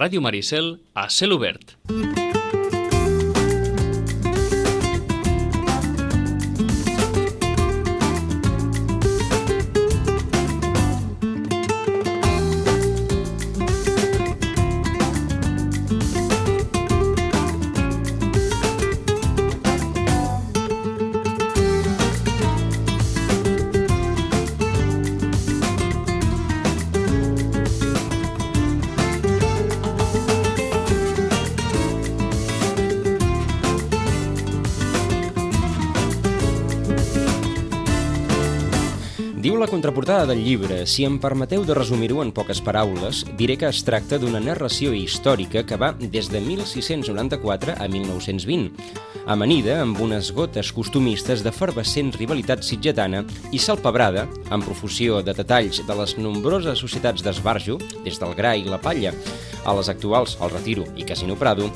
Ràdio Maricel a cel obert. Diu la contraportada del llibre, si em permeteu de resumir-ho en poques paraules, diré que es tracta d'una narració històrica que va des de 1694 a 1920, amanida amb unes gotes costumistes d'efervescent rivalitat sitgetana i salpebrada, amb profusió de detalls de les nombroses societats d'esbarjo, des del gra i la palla, a les actuals, el Retiro i Casino Prado,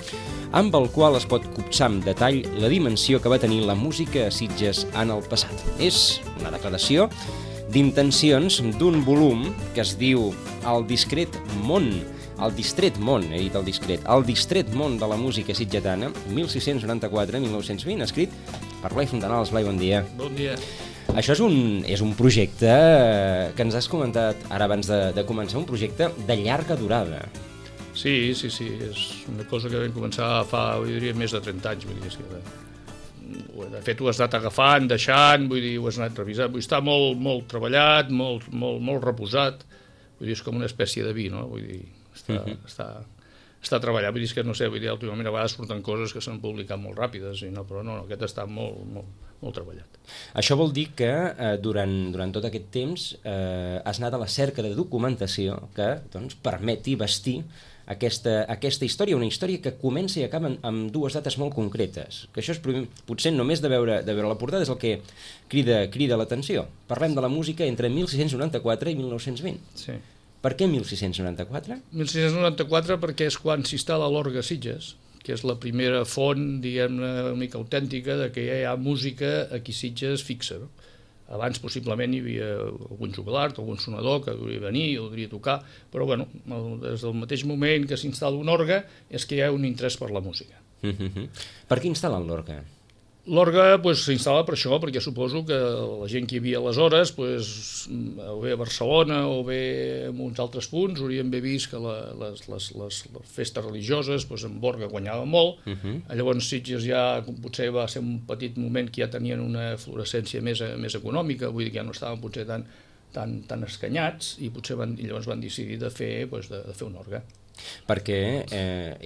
amb el qual es pot copsar amb detall la dimensió que va tenir la música a Sitges en el passat. És una declaració d'intencions d'un volum que es diu El distret món, el distret món de la música sitgetana, 1694-1920, escrit per Blai Fontanals. Blai, bon dia. Bon dia. Això és un projecte que ens has comentat ara abans de començar, un projecte de llarga durada. Sí, és una cosa que vam començar fa, jo diria, més de 30 anys, vull dir, de fet ho has anat agafant, deixant, vull dir, ho has anat revisant, vull dir, està molt treballat, molt reposat, vull dir, és com una espècie de vi, no? Vull dir, està treballat, vull dir, és que no sé, vull dir, últimament a vegades surten coses que s'han publicat molt ràpides, però no, aquest està molt treballat. Això vol dir que durant tot aquest temps has anat a la cerca de documentació que permeti vestir aquesta història, una història que comença i acaba amb dues dates molt concretes, que això és potser només de veure la portada és el que crida l'atenció. Parlem de la música entre 1694 i 1920. Sí. Per què 1694? 1694 perquè és quan s'instal·la l'orgue a Sitges, que és la primera font, diguem-ne, una mica autèntica de que ja hi ha música aquí a Sitges fixa, no? Abans possiblement hi havia algun jubilat, algun sonador que hauria de venir o hauria de tocar, però bueno, des del mateix moment que s'instal·la un orgue és que hi ha un interès per la música. Per què instal·len l'orgue? L'orgue s'instal·la per això, perquè suposo que la gent que hi havia aleshores, o bé a Barcelona o bé en uns altres punts, haurien bé vist que les festes religioses en Borga guanyava molt. Llavors Sitges ja potser va ser un petit moment que ja tenien una fluorescència més econòmica, vull dir que ja no estaven potser tan escanyats i potser llavors van decidir de fer un orgue. Perquè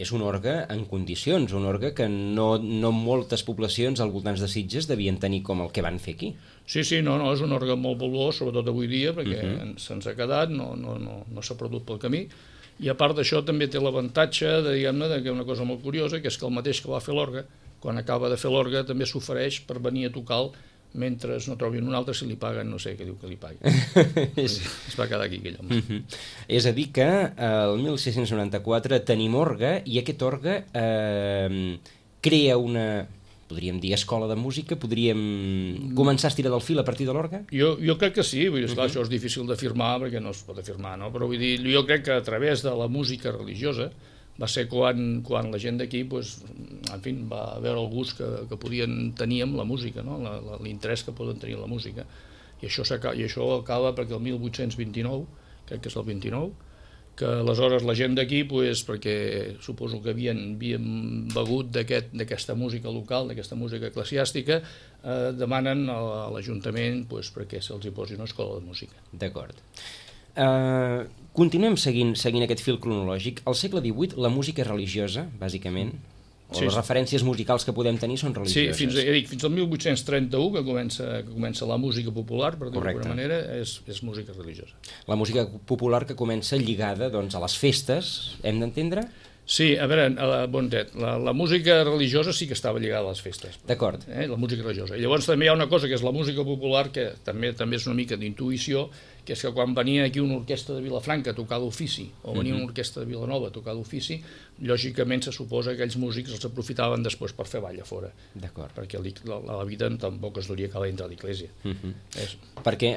és un orgue en condicions, un orgue que no moltes poblacions al voltant de Sitges devien tenir com el que van fer aquí. Sí, no, és un orgue molt valuós, sobretot avui dia, perquè se'ns ha quedat, no s'ha perdut pel camí, i a part d'això també té l'avantatge, diguem-ne, que una cosa molt curiosa, que és que el mateix que va fer l'orgue, quan acaba de fer l'orgue, també s'ofereix per venir a tocar mentre no trobin un altre si li paguen, no sé què diu que li paguen. Es va quedar aquí aquell home. És a dir que el 1694 tenim orgue i aquest orgue crea una, podríem dir, escola de música? Podríem començar a estirar del fil a partir de l'orgue? Jo crec que sí, vull dir, això és difícil d'afirmar perquè no es pot afirmar, no? Però vull dir, jo crec que a través de la música religiosa va ser quan la gent d'aquí va veure el gust que tenir amb la música, no? L'interès que poden tenir en la música. I això acaba perquè el 1829, crec que és el 29, que aleshores la gent d'aquí, perquè suposo que havien begut d'aquesta música local, d'aquesta música eclesiàstica, demanen a l'Ajuntament perquè se'ls hi posi una escola de música. D'acord. Continuem seguint aquest fil cronològic. Al segle XVIII la música religiosa, bàsicament, o les referències musicals que podem tenir són religioses. Sí, fins al 1831 que comença la música popular, per dir-ho d'alguna manera, és música religiosa. La música popular que comença lligada a les festes, hem d'entendre? Sí, a veure, la música religiosa sí que estava lligada a les festes. D'acord. La música religiosa. I llavors també hi ha una cosa que és la música popular, que també és una mica d'intuïció, que és que quan venia aquí una orquestra de Vilafranca a tocar d'ofici, o venia una orquestra de Vilanova a tocar d'ofici, lògicament se suposa que aquells músics els aprofitaven després per fer ball a fora. D'acord. Perquè la vida tampoc es duria que a dintre de l'església. Perquè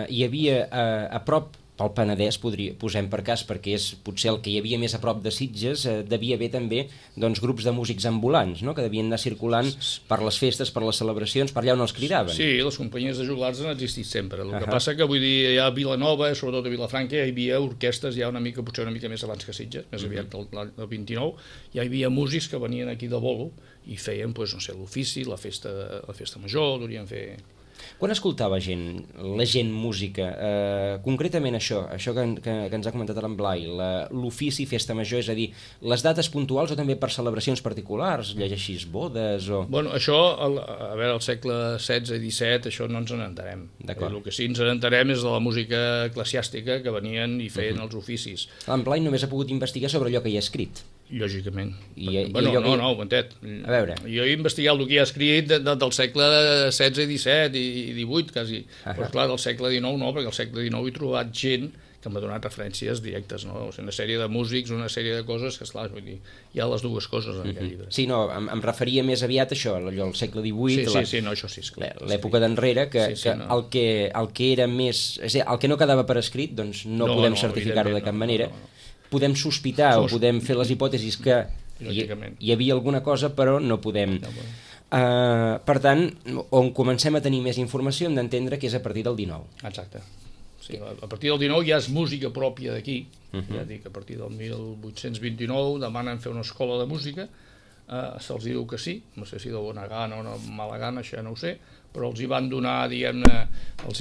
hi havia a prop pel Penedès, posem per cas, perquè és potser el que hi havia més a prop de Sitges, devia haver també doncs, grups de músics ambulants, no?, que devien anar circulant per les festes, per les celebracions, per allà on els cridaven. Sí, les companyies de joglars han existit sempre. El que passa que, vull dir, ja a Vilanova, sobretot a Vilafranca, hi havia orquestres ja potser una mica més abans que Sitges, més aviat el 29, ja hi havia músics que venien aquí de bolo i feien, doncs, no sé, l'ofici, la festa major, durien fer... Quan escoltava la gent música, concretament això que ens ha comentat en Blai, l'ofici, festa major, és a dir, les dates puntuals o també per celebracions particulars, llegeixis bodes o... Bueno, això, a veure, al segle XVI i XVII, això no ens n'entarem. El que sí ens n'entarem és de la música eclesiàstica que venien i feien els oficis. En Blai només ha pogut investigar sobre allò que hi ha escrit. Lògicament. No, un momentet. A veure. Jo he investigat el que hi ha escrit del segle XVI i XVII i XVIII, quasi. Però, clar, del segle XIX no, perquè al segle XIX he trobat gent que m'ha donat referències directes, no? O sigui, una sèrie de músics, una sèrie de coses que, esclar, vull dir, hi ha les dues coses en aquest llibre. Sí, no, em referia més aviat a això, allò, al segle XVIII, sí, no, això sí, esclar. L'època d'enrere, que el que era més... És a dir, el que no quedava per escrit, doncs no podem certificar-ho de cap manera. Podem sospitar o podem fer les hipòtesis que hi havia alguna cosa, però no podem. Per tant, on comencem a tenir més informació hem d'entendre que és a partir del 19. Exacte. Sí, a partir del 19 ja és música pròpia d'aquí. Ja dic, a partir del 1829 demanen fer una escola de música, se'ls diu que sí, no sé si de bona gana o de mala gana, això ja no ho sé, però els hi van donar, diguem-ne, el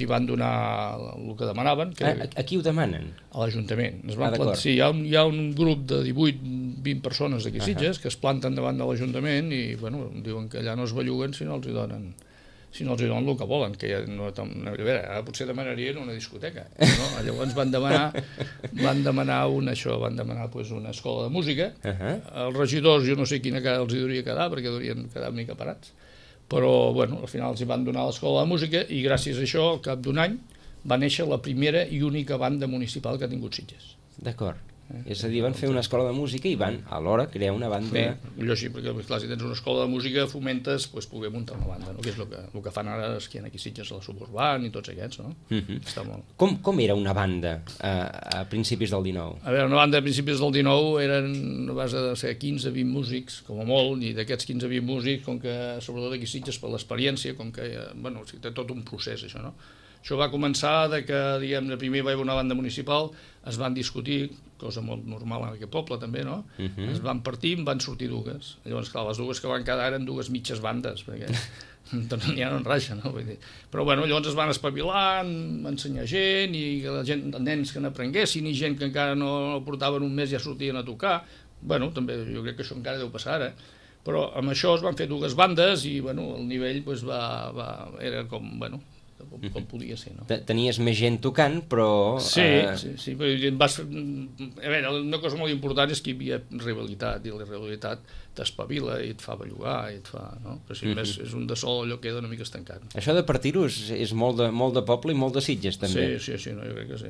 que demanaven. A qui ho demanen? A l'Ajuntament. Sí, hi ha un grup de 18-20 persones d'aquí Sitges que es planten davant de l'Ajuntament i, bueno, diuen que allà no es belluguen si no els hi donen el que volen, que ja no, a veure, potser demanarien una discoteca, no? Llavors van demanar una escola de música. Els regidors, jo no sé quina cara els hi hauria quedar, perquè haurien quedat una mica parats, però, bueno, al final els hi van donar l'escola de música i gràcies a això, al cap d'un any, va néixer la primera i única banda municipal que ha tingut Sitges. D'acord. És a dir, van fer una escola de música i van alhora crear una banda... Millor sí, perquè clar, si tens una escola de música fomentes poder muntar una banda, no? Que és el que fan ara els que hi ha aquí Sitges, a la Suburban i tots aquests, no? Està molt... Com era una banda a principis del 19? A veure, una banda a principis del 19 eren a base de ser 15-20 músics, com a molt, i d'aquests 15-20 músics, com que sobretot aquí Sitges per l'experiència, com que, bueno, té tot un procés això, no? Això va començar de que, diguem-ne, primer va haver una banda municipal, es van discutir, cosa molt normal en aquest poble també, no? Es van partir, en van sortir dues. Llavors, clar, les dues que van quedar eren dues mitges bandes, perquè doncs ja no en raja, no? Vull dir. Però, bueno, llavors es van espavilar, van ensenyar gent, i la gent, nens que n'aprenguessin, i gent que encara no portaven un mes ja sortien a tocar. Bueno, també jo crec que això encara deu passar ara. Però amb això es van fer dues bandes i, bueno, el nivell era com, bueno, com podia ser, no? Tenies més gent tocant, però... Sí, a veure, una cosa molt important és que hi havia rivalitat, i la rivalitat t'espavila i et fa bellugar, i et fa... No? Però si més és un de sol, allò queda una mica estancat. Això de partir-ho és molt de poble i molt de Sitges, també. Sí, no, jo crec que sí.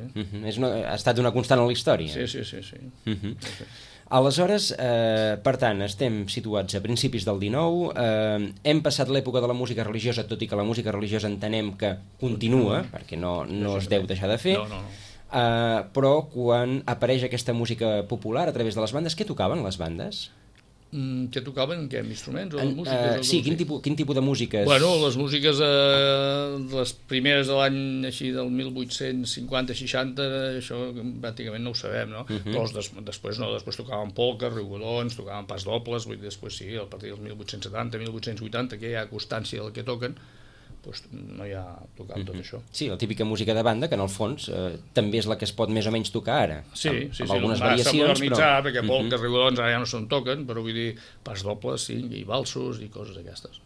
Ha estat una constant a la història. Sí. Aleshores, per tant, estem situats a principis del 19, hem passat l'època de la música religiosa, tot i que la música religiosa entenem que continua, perquè no es deu deixar de fer, però quan apareix aquesta música popular a través de les bandes, què tocaven les bandes? Què tocaven? Què? Instruments? O músiques? Sí, quin tipus de músiques? Bueno, les músiques, les primeres de l'any així del 1850-60, això pràcticament no ho sabem, no? Però després no, després tocaven polques, rigodons, tocaven pas dobles, vull dir, després sí, a partir del 1870-1880, que hi ha constància del que toquen, doncs no hi ha tocat tot això. Sí, la típica música de banda, que en el fons també és la que es pot més o menys tocar ara. Sí, algunes variacions, però... perquè polques, rigodons ara ja no se'n toquen, però vull dir, pas dobles, sí, i valsos i coses d'aquestes.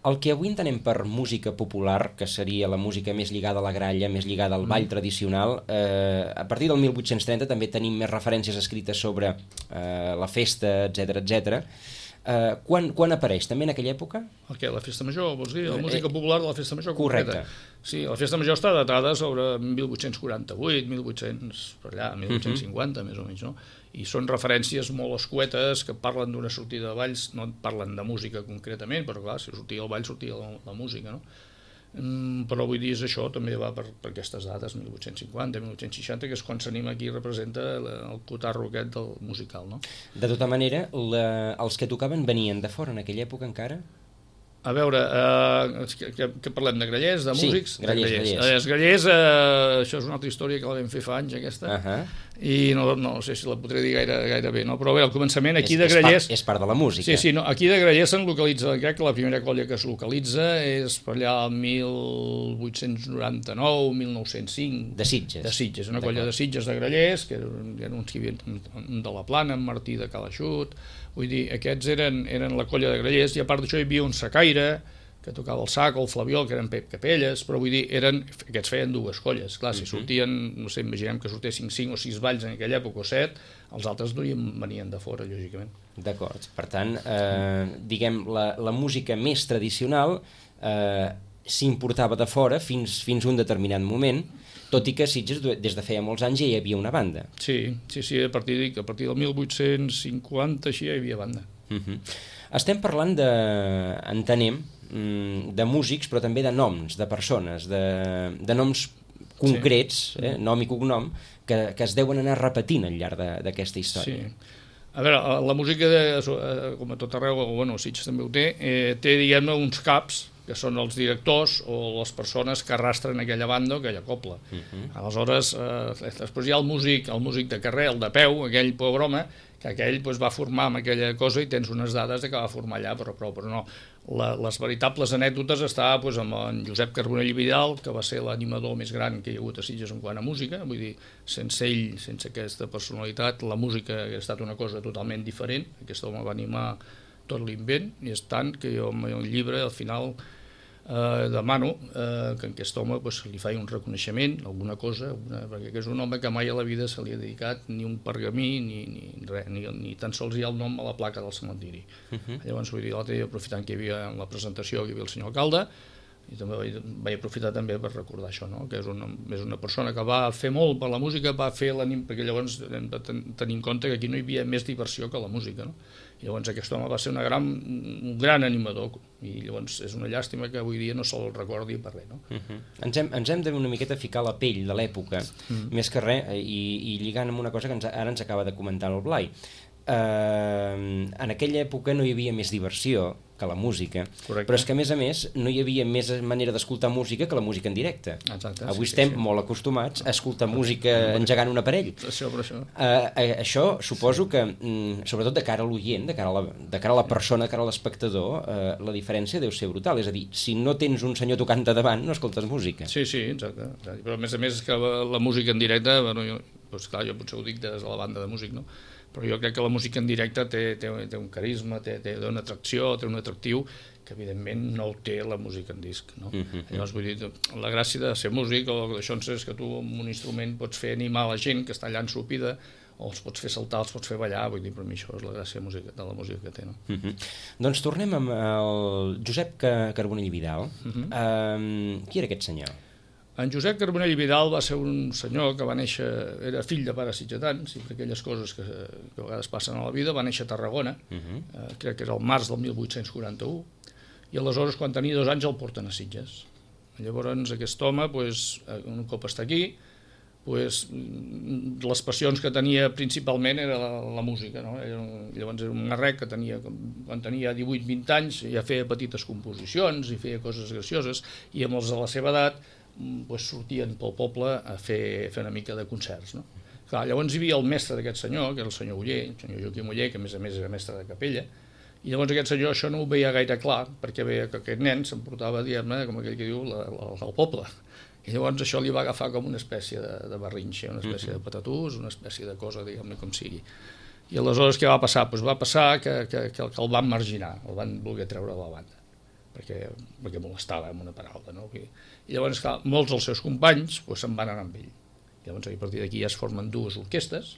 El que avui entenem per música popular, que seria la música més lligada a la gralla, més lligada al ball tradicional, a partir del 1830 també tenim més referències escrites sobre la festa, etc. Quan apareix? També en aquella època? La festa major, vols dir? La música popular de la festa major correcte. Sí, la festa major està datada sobre 1848, 1850, més o menys, no? I són referències molt escuetes que parlen d'una sortida de balls, no parlen de música concretament, però clar, si sortia el ball sortia la música, no? però vull dir, és això, també va per aquestes dades, 1850, 1860, que és quan s'anima aquí i representa el cotarro aquest del musical, no? De tota manera, els que tocaven venien de fora en aquella època encara? A veure, que parlem de grallers, de músics? Sí, grallers. Els grallers, això és una altra història que la vam fer fa anys, aquesta, i no sé si la podré dir gaire bé, no? Però bé, al començament aquí de grallers... És part de la música. Sí, no, aquí de grallers se'n localitza, crec que la primera colla que es localitza és per allà el 1899, 1905... De Sitges. De Sitges, una colla de Sitges de grallers, que eren uns que hi havia de la Plana, en Martí de Calaixut. Vull dir, aquests eren la colla de grallers, i a part d'això hi havia un sacaire que tocava el sac o el flabiol, que eren Pep Capelles, però vull dir, aquests feien dues colles. Clar, si sortien, no sé, imaginem que sortessin 5 o 6 balls en aquella època o 7, els altres venien de fora, lògicament. D'acord. Per tant, diguem, la música més tradicional s'importava de fora fins a un determinat moment, tot i que a Sitges des de feia molts anys ja hi havia una banda. Sí, a partir del 1850 així ja hi havia banda. Estem parlant entenem, de músics, però també de noms, de persones, de noms concrets, nom i cognom, que es deuen anar repetint al llarg d'aquesta història. Sí. A veure, la música, com a tot arreu, bueno, Sitges també ho té, diguem-ne, uns caps, que són els directors o les persones que arrastren aquella banda o aquella copla. Aleshores, després hi ha el músic de carrer, el de peu, aquell pobre home, que aquell va formar amb aquella cosa i tens unes dades que va formar allà, però no. Les veritables anècdotes està amb en Josep Carbonell i Vidal, que va ser l'animador més gran que hi ha hagut a Sitges en quant a música. Vull dir, sense ell, sense aquesta personalitat, la música ha estat una cosa totalment diferent. Aquest home va animar tot l'invent, i és tant que jo en el llibre al final demano que a aquest home li faci un reconeixement, alguna cosa, perquè és un home que mai a la vida se li ha dedicat ni un pergamí ni tan sols hi ha el nom a la placa del cementiri. Llavors, vull dir, l'altre dia, aprofitant que hi havia en la presentació, que hi havia el senyor alcalde, i també vaig aprofitar també per recordar això, no? Que és una persona que va fer molt per la música, perquè llavors hem de tenir en compte que aquí no hi havia més diversió que la música, no? I llavors aquest home va ser un gran animador, i llavors és una llàstima que avui dia no se'l recordi per res, no? Ens hem d'una miqueta ficar la pell de l'època, més que res, i lligant amb una cosa que ara ens acaba de comentar el Blai. En aquella època no hi havia més diversió que la música, però és que a més no hi havia més manera d'escoltar música que la música en directe. Avui estem molt acostumats a escoltar música engegant un aparell. Això suposo que, sobretot de cara a l'oient, de cara a la persona, de cara a l'espectador, la diferència deu ser brutal. És a dir, si no tens un senyor tocant de davant, no escoltes música. Sí, exacte. Però a més que la música en directe, clar, jo potser ho dic des de la banda de músic, no? Però jo crec que la música en directe té un carisma, té una atracció, té un atractiu que evidentment no el té la música en disc, no? Llavors, vull dir, la gràcia de ser músic o d'això és que tu amb un instrument pots fer animar la gent que està allà ensopida, o els pots fer saltar, els pots fer ballar, vull dir, per mi això és la gràcia de la música que té, no? Doncs tornem amb el Josep Carbonell i Vidal. Qui era aquest senyor? En Josep Carbonell i Vidal va ser un senyor que va néixer, era fill de pares sitgetans, i per aquelles coses que a vegades passen a la vida, va néixer a Tarragona, crec que era el març del 1841, i aleshores quan tenia 2 anys el porten a Sitges. Llavors aquest home, un cop està aquí, les passions que tenia principalment era la música, no? Llavors era un marrec que quan tenia 18-20 anys ja feia petites composicions i feia coses gracioses, i amb els de la seva edat sortien pel poble a fer una mica de concerts, no? Clar, llavors hi havia el mestre d'aquest senyor, que era el senyor Oller, el senyor Joaquim Oller, que a més era mestre de capella, i llavors aquest senyor això no ho veia gaire clar, perquè veia que aquest nen s'emportava, diguem-ne, com aquell que diu, al poble. I llavors això li va agafar com una espècie de barrinxa, una espècie de patatús, una espècie de cosa, diguem-ne, com sigui. I aleshores què va passar? Va passar que el van marginar, el van voler treure de la banda, perquè molestava amb una paraula, no? I llavors, clar, molts dels seus companys se'n van anar amb ell. Llavors, a partir d'aquí ja es formen 2 orquestes.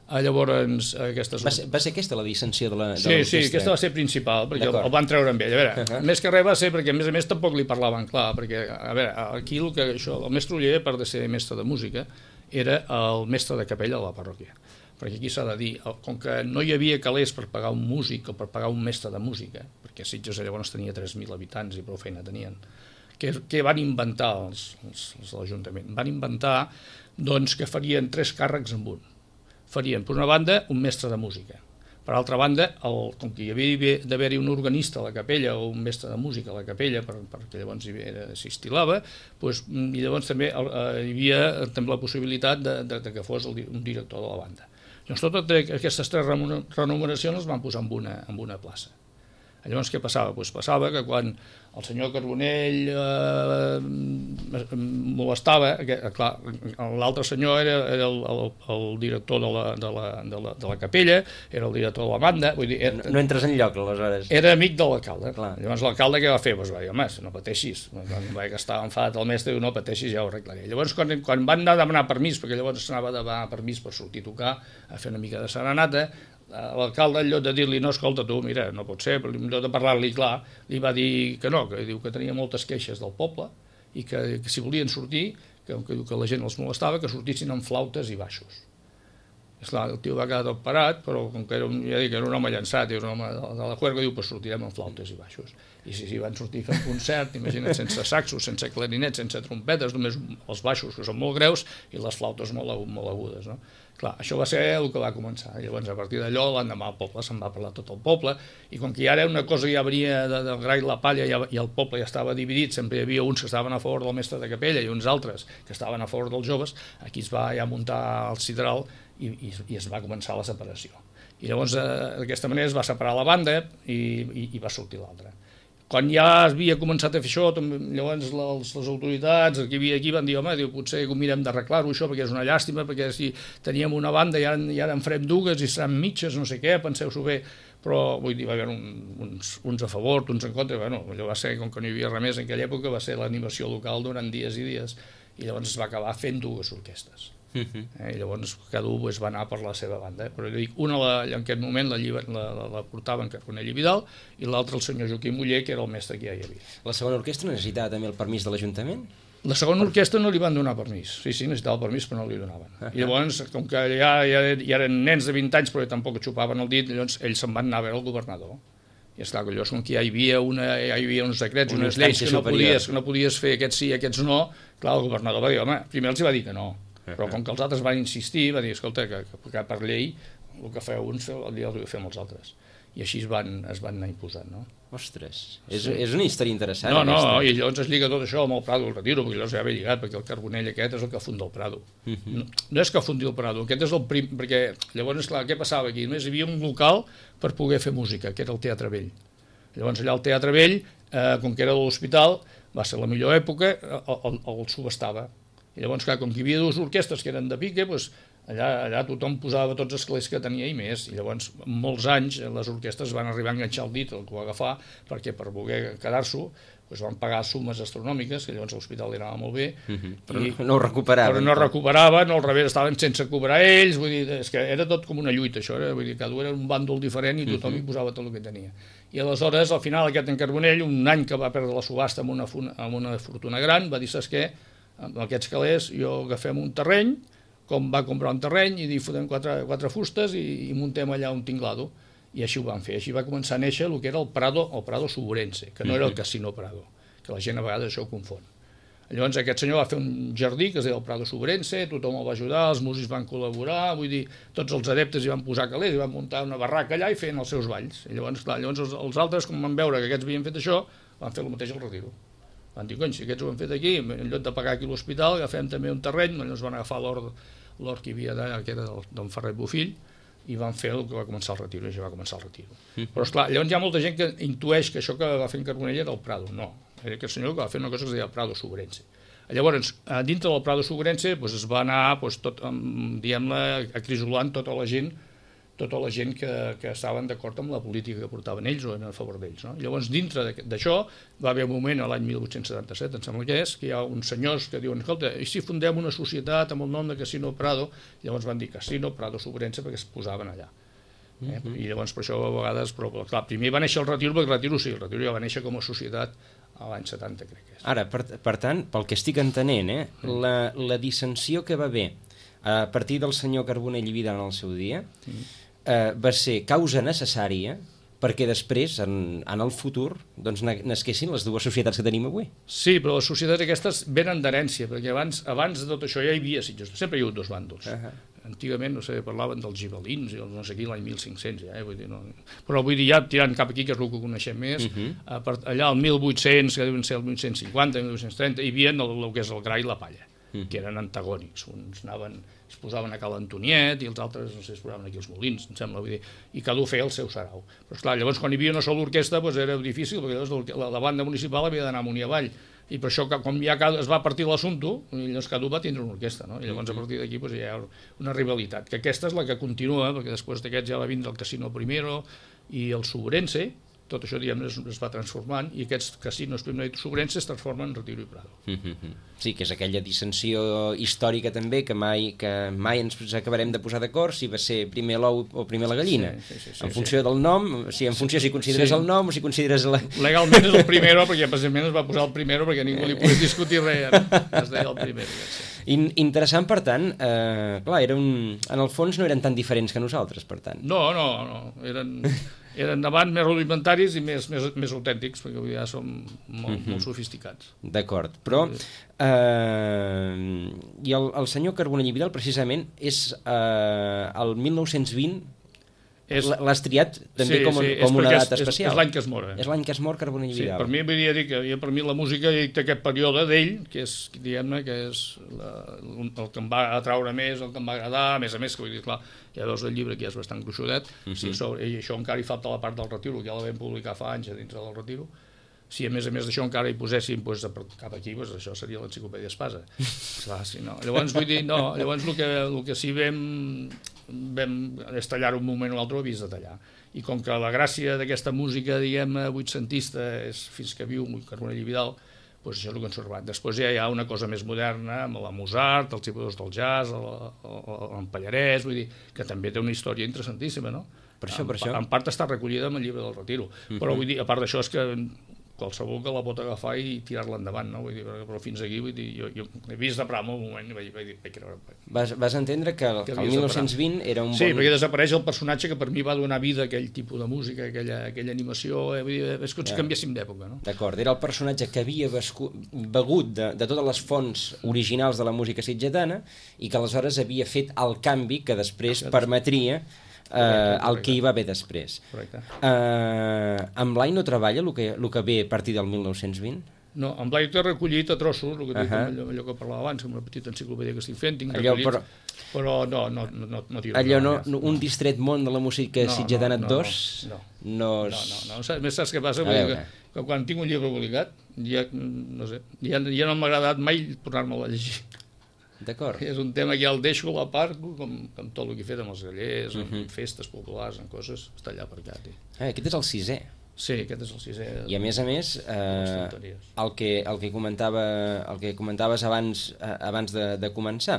Llavors, Va ser aquesta la dissensió de l'orquestra? Sí, aquesta va ser principal, perquè el van treure amb ell. A veure, més que res va ser perquè, a més tampoc li parlaven clar, perquè, a veure, aquí el mestre Oller, a part de ser mestre de música, era el mestre de capella de la parròquia. Perquè aquí s'ha de dir, com que no hi havia calés per pagar un músic o per pagar un mestre de música, perquè Sitges llavors tenia 3.000 habitants i prou feina tenien, què van inventar els de l'Ajuntament? Van inventar doncs, que farien 3 càrrecs en un. Farien, per una banda, un mestre de música. Per altra banda, com que hi havia d'haver-hi un organista a la capella o un mestre de música a la capella perquè llavors s'hi estilava, doncs, i llavors també hi havia també la possibilitat de que fos un director de la banda. Llavors totes aquestes 3 remuneracions les van posar en una plaça. Llavors què passava? Doncs passava que quan el senyor Carbonell molestava, clar, l'altre senyor era el director de la capella, era el director de la banda, vull dir... No entres en lloc, aleshores. Era amic de l'alcalde. Llavors l'alcalde què va fer? Doncs va dir, home, no pateixis. Quan va que estava enfadat el mestre, diu, no pateixis, ja ho arreglaré. Llavors quan van anar a demanar permís, perquè llavors s'anava a demanar permís per sortir a tocar, a fer una mica de serenata, l'alcalde, en lloc de dir-li, no, escolta tu, mira, no pot ser, però en lloc de parlar-li clar, li va dir que no, que diu que tenia moltes queixes del poble i que si volien sortir, que la gent els molestava, que sortissin amb flautes i baixos. Esclar, el tio va quedar tot parat, però com que era un home llançat, era un home de la juerga, diu, pues sortirem amb flautes i baixos. I si van sortir fent concert, imagina't, sense saxos, sense clarinets, sense trompetes, només els baixos, que són molt greus, i les flautes molt agudes, no? Clar, això va ser el que va començar. Llavors, a partir d'allò, l'endemà al poble se'n va parlar tot el poble, i com que ja era una cosa que ja venia del gra i la palla i el poble ja estava dividit, sempre hi havia uns que estaven a favor del mestre de capella i uns altres que estaven a favor dels joves, aquí es va ja muntar el sidral i es va començar la separació. I llavors, d'aquesta manera, es va separar la banda i va sortir l'altra. Quan ja havia començat a fer això, llavors les autoritats que hi havia aquí van dir, home, potser mirem d'arreglar-ho això perquè és una llàstima, perquè si teníem una banda i ara en farem dues i seran mitges, no sé què, penseu-s'ho bé, però vull dir, va haver uns a favor, uns en contra, bueno, allò va ser, com que no hi havia res més en aquella època, va ser l'animació local durant dies i dies, i llavors es va acabar fent 2 orquestres. I llavors cada un va anar per la seva banda, però jo dic, una en aquest moment la portava en Carbonell i Vidal i l'altra el senyor Joaquim Muller, que era el mestre que ja hi havia. La segona orquestra necessitava també el permís de l'Ajuntament? La segona orquestra no li van donar permís, sí, necessitava el permís però no li donaven. I llavors, com que ja eren nens de 20 anys però tampoc xupaven el dit, llavors ells se'n van anar a veure el governador. I esclar, que llavors com que ja hi havia uns decrets, unes lleis que no podies fer aquests sí, aquests no, clar, el governador va dir, home, primer els va dir que no, però com que els altres van insistir, va dir, escolta, que per llei el que feu uns el fem els altres. I així es van anar imposant, no? Ostres, és una història interessant. No, i llavors es lliga tot això amb el Prado del Retiro, perquè llavors ja ve lligat, perquè el Carbonell aquest és el que funda el Prado. No és que fundi el Prado, aquest és el prim, perquè llavors, esclar, què passava aquí? Només hi havia un local per poder fer música, que era el Teatre Vell. Llavors allà el Teatre Vell, com que era de l'hospital, va ser la millor època, el subestava. I llavors, clar, com que hi havia 2 orquestres que eren de pique, doncs allà tothom posava tots els calés que tenia i més, i llavors molts anys les orquestres van arribar a enganxar el dit, el que ho va agafar, perquè per voler quedar-s'ho doncs van pagar sumes astronòmiques, que llavors l'hospital li anava molt bé, però no ho recuperaven. Però no recuperaven, al revés estaven sense cobrar ells, vull dir, és que era tot com una lluita això, vull dir, cada un era un bàndol diferent i tothom hi posava tot el que tenia. I aleshores, al final, aquest en Carbonell, un any que va perdre la subhasta amb una fortuna gran, va dir, saps què? Amb aquests calés jo agafem un terreny, com va comprar un terreny i fotem 4 fustes i muntem allà un tinglado. I així ho van fer, així va començar a néixer el que era el Prado Suburense, que no era el Casino Prado, que la gent a vegades això ho confon. Llavors aquest senyor va fer un jardí que es deia el Prado Suburense, tothom el va ajudar, els músics van col·laborar, vull dir, tots els adeptes hi van posar calés, hi van muntar una barraca allà i feien els seus balls. I llavors, clar, els altres, com van veure que aquests havien fet això, van fer el mateix al Retiro. Van dir, cony, si aquests ho han fet aquí, en lloc de pagar aquí l'hospital, agafem també un terreny, llavors van agafar l'hort que hi havia d'allà, que era d'en Ferret Bofill, i van fer el que va començar el Retiro, i ja va començar el Retiro. Però, esclar, llavors hi ha molta gent que intueix que això que va fer en Carbonell era el Prado. No, era aquest senyor que va fer una cosa que es deia Prado Suburense. Llavors, dintre del Prado Suburense es va anar, diguem-ne, acrisolant tota la gent que estaven d'acord amb la política que portaven ells o eren a favor d'ells. No? Llavors, dintre d'això, va haver un moment, l'any 1877, em sembla que és, que hi ha uns senyors que diuen, escolta, i si fundem una societat amb el nom de Casino Prado? Llavors van dir Casino Prado Suburense perquè es posaven allà. I llavors per això a vegades, però clar, primer va néixer el Retiro, perquè el Retiro ja va néixer com a societat a l'any 70, crec que és. Ara, per tant, pel que estic entenent, la dissensió que va haver a partir del senyor Carbonell i Vidal en el seu dia va ser causa necessària perquè després, en el futur, doncs nasquessin les dues societats que tenim avui. Sí, però les societats aquestes venen d'herència, perquè abans de tot això ja hi havia Sitges, sempre hi ha hagut dos bàndols. Antigament, no sé, parlaven dels gibelins, i no sé qui, l'any 1500, ja, vull dir, no. Però vull dir, ja tirant cap aquí, que és el que coneixem més, allà al 1800, que deuen ser el 1850, 1830, hi havia el que és el gra i la palla, que eren antagònics, uns es posaven a Cal Antoniet i els altres, no sé, es posaven aquí els molins, em sembla, vull dir, i cada un feia el seu sarau. Però esclar, llavors quan hi havia una sola orquestra doncs era difícil, perquè llavors la banda municipal havia d'anar amunt i avall, i per això, com ja es va partir l'assumpte, llavors cada un va tindre una orquestra, no? I llavors a partir d'aquí doncs, hi ha una rivalitat, que aquesta és la que continua, perquè després d'aquests ja va vindre el Casino Primero i el Subrense, tot això diguem es va transformant, i aquests casinos Primero i Subrense es transformen en Retiro i Prado. Sí, que és aquella dissensió històrica també, que mai ens acabarem de posar d'acord si va ser primer l'ou o primer la gallina. En funció del nom, en funció si consideres el nom o si consideres la... Legalment és el Primero, perquè precisament es va posar el Primero perquè ningú li pogués discutir res, es deia el Primero. Interessant, per tant, clar, en el fons no eren tan diferents que nosaltres, per tant. No, eren abans més rudimentaris i més autèntics, perquè avui ja som molt sofisticats. D'acord, però i el senyor Carbonell i Vidal precisament és el 1920, l'has triat també com una data especial. És l'any que es mor. És l'any que es mor Carbonell i Vidal. Per mi volia dir que per mi la música té aquest període d'ell, que és, diguem-ne, que és el que em va atraure més, el que em va agradar, a més, que vull dir, clar, ja veus el llibre que ja és bastant gruixudet, i això encara hi falta la part del Retiro, que ja la vam publicar fa anys a dintre del Retiro. Si a més d'això encara hi poséssim cap aquí, això seria l'enciclopèdia Espasa. Llavors vull dir, llavors el que sí vam és tallar un moment o l'altre, ho havies de tallar. I com que la gràcia d'aquesta música, diguem-ne, vuitcentista, és fins que viu Carbonell i Vidal, doncs això és el que ens ha robat. Després ja hi ha una cosa més moderna, amb la Mozart, els tipus del jazz, el Pallarès, vull dir, que també té una història interessantíssima, no? Per això. En part està recollida amb el llibre del Retiro, però vull dir, a part d'això és que qualsevol que la pot agafar i tirar-la endavant, no? Vull dir, però fins aquí, vull dir, jo he vist de Pramo un moment i vaig dir, Vas entendre que el 1920 era un bon... Sí, perquè desapareix el personatge que per mi va donar vida a aquell tipus de música, aquella animació, vull dir, és com si canviéssim d'època, no? D'acord, era el personatge que havia begut de totes les fonts originals de la música sitgetana i que aleshores havia fet el canvi que després permetria el que hi va haver després. En Blai no treballa el que ve a partir del 1920? No, en Blai té recollit a trossos, el que dic, allò que parlava abans, amb una petita enciclopèdia que estic fent, tinc recollit, però no tiro. Allò un distret món de la música sitgetana 2? No. Més saps què passa? Que quan tinc un llibre publicat, ja no m'ha agradat mai tornar-me'l a llegir. D'acord. És un tema que ja el deixo a la part, com tot el que he fet amb els grallers, amb festes populars, amb coses, està allà aparcat. Aquest és el 6è. Sí, aquest és el 6è. I a més, el que comentaves abans de començar,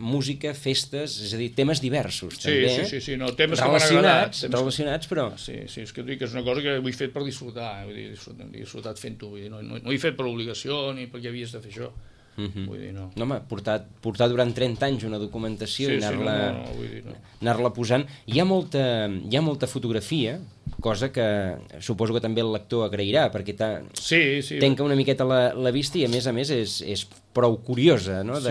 música, festes, és a dir, temes diversos, també. Sí, no, temes que m'han agradat. Relacionats, però... Sí, és que dic que és una cosa que ho he fet per disfrutar, he disfrutat fent-ho, no ho he fet per obligació ni perquè havies de fer això. Vull dir, no. No, home, portar durant 30 anys una documentació i anar-la posant. Hi ha molta fotografia, cosa que suposo que també el lector agrairà, perquè tenca una miqueta la vista i a més és prou curiosa, no? A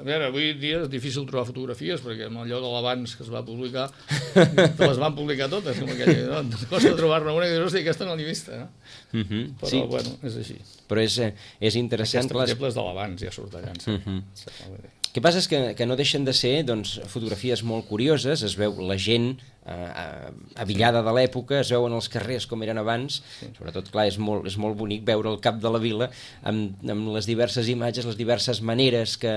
veure, avui dia és difícil trobar fotografies, perquè amb allò de l'abans que es va publicar, les van publicar totes, com aquella, no? Costa trobar-ne una que dius, hosti, aquesta no l'he vista, no? Però, bueno, és així. Però és interessant... Aquesta, per exemple, és de l'abans, ja surt allà. El que passa és que no deixen de ser fotografies molt curioses, es veu la gent avillada de l'època, es veuen els carrers com eren abans, sobretot, clar, és molt bonic veure el cap de la vila amb les diverses imatges, les diverses maneres que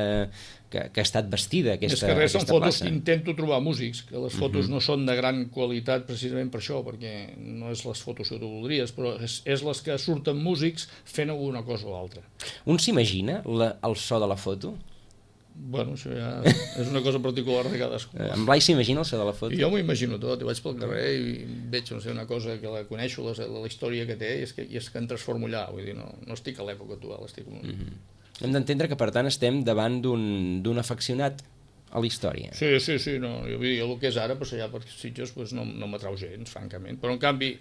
ha estat vestida aquesta plaça. És que són fotos que intento trobar músics, que les fotos no són de gran qualitat precisament per això, perquè no és les fotos que tu voldries, però és les que surten músics fent alguna cosa o altra. Un s'imagina el so de la foto? Bueno, això ja és una cosa particular de cadascú. En Blai s'imagina el so de la foto? Jo m'ho imagino tot, vaig pel carrer i veig una cosa que la coneixo, la història que té, i és que em transformo allà, vull dir, no estic a l'època actual, estic... Hem d'entendre que, per tant, estem davant d'un afeccionat a la història. Sí, no, jo vull dir, el que és ara, passar allà per Sitges, no m'atrau gens, francament, però en canvi,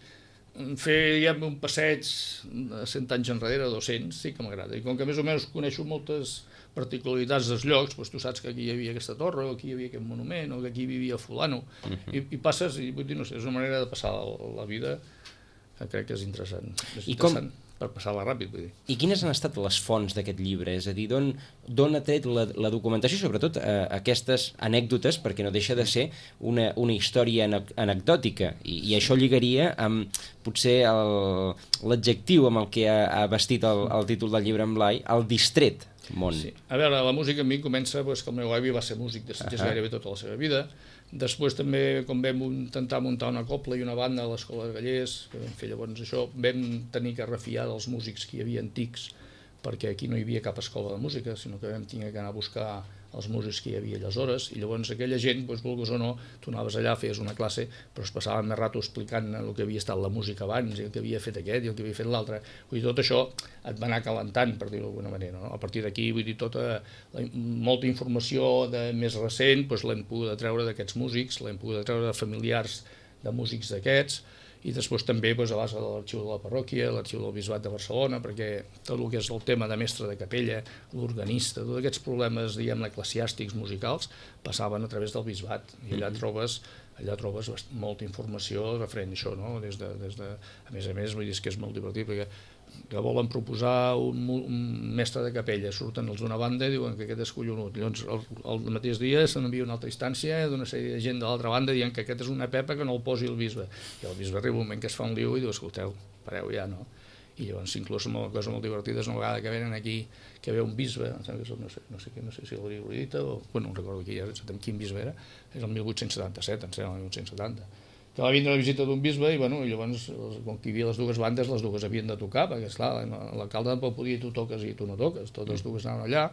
fer, diguem, un passeig de 100 anys enrere, 200, sí que m'agrada, i com que més o menys coneixo moltes particularitats dels llocs, doncs tu saps que aquí hi havia aquesta torre, o aquí hi havia aquest monument, o que aquí vivia fulano, i passes, i vull dir, no sé, és una manera de passar la vida que crec que és interessant. És interessant per passar-la ràpid, vull dir. I quines han estat les fonts d'aquest llibre? És a dir, d'on ha tret la documentació, sobretot aquestes anècdotes, perquè no deixa de ser una història anecdòtica, i això lligaria amb potser l'adjectiu amb el que ha vestit el títol del llibre en Blai, el distret món. Sí. A veure, la música a mi comença que el meu avi va ser músic de Sitges gairebé tota la seva vida. Després també, quan vam intentar muntar una cobla i una banda a l'Escola de Gallers, que vam fer llavors això, vam tenir que refiar dels músics que hi havia antics, perquè aquí no hi havia cap escola de música, sinó que vam tenir que anar a buscar els músics que hi havia aleshores, i llavors aquella gent, vulguis o no, tu anaves allà, feies una classe, però es passaven més rato explicant el que havia estat la música abans, i el que havia fet aquest, i el que havia fet l'altre. Vull dir, tot això et va anar calentant, per dir-ho d'alguna manera, no? A partir d'aquí, vull dir, molta informació més recent l'hem pogut treure d'aquests músics, l'hem pogut treure de familiars de músics d'aquests, i després també a base de l'arxiu de la parròquia, l'arxiu del Bisbat de Barcelona, perquè tot el que és el tema de mestre de capella, l'organista, tots aquests problemes, diguem-ne, eclesiàstics, musicals, passaven a través del Bisbat, i allà trobes molta informació referent a això, no? A més, vull dir que és molt divertit, perquè que volen proposar un mestre de capella, surten els d'una banda i diuen que aquest és collonut, llavors el mateix dia se n'envia una altra instància d'una sèrie de gent de l'altra banda dient que aquest és una pepa que no el posi el bisbe, i el bisbe arriba un moment que es fa un liu i diu, escolteu, pareu ja, no? I llavors inclús una cosa molt divertida és una vegada que venen aquí, que ve un bisbe, no sé si el Rodita o, bueno, no recordo quin bisbe era, és el 1877, em sembla, el 1870, que va vindre a la visita d'un bisbe i llavors, com que hi havia les dues bandes, les dues havien de tocar, perquè esclar, l'alcalde tampoc podia dir tu toques i tu no toques, totes dues anaven allà,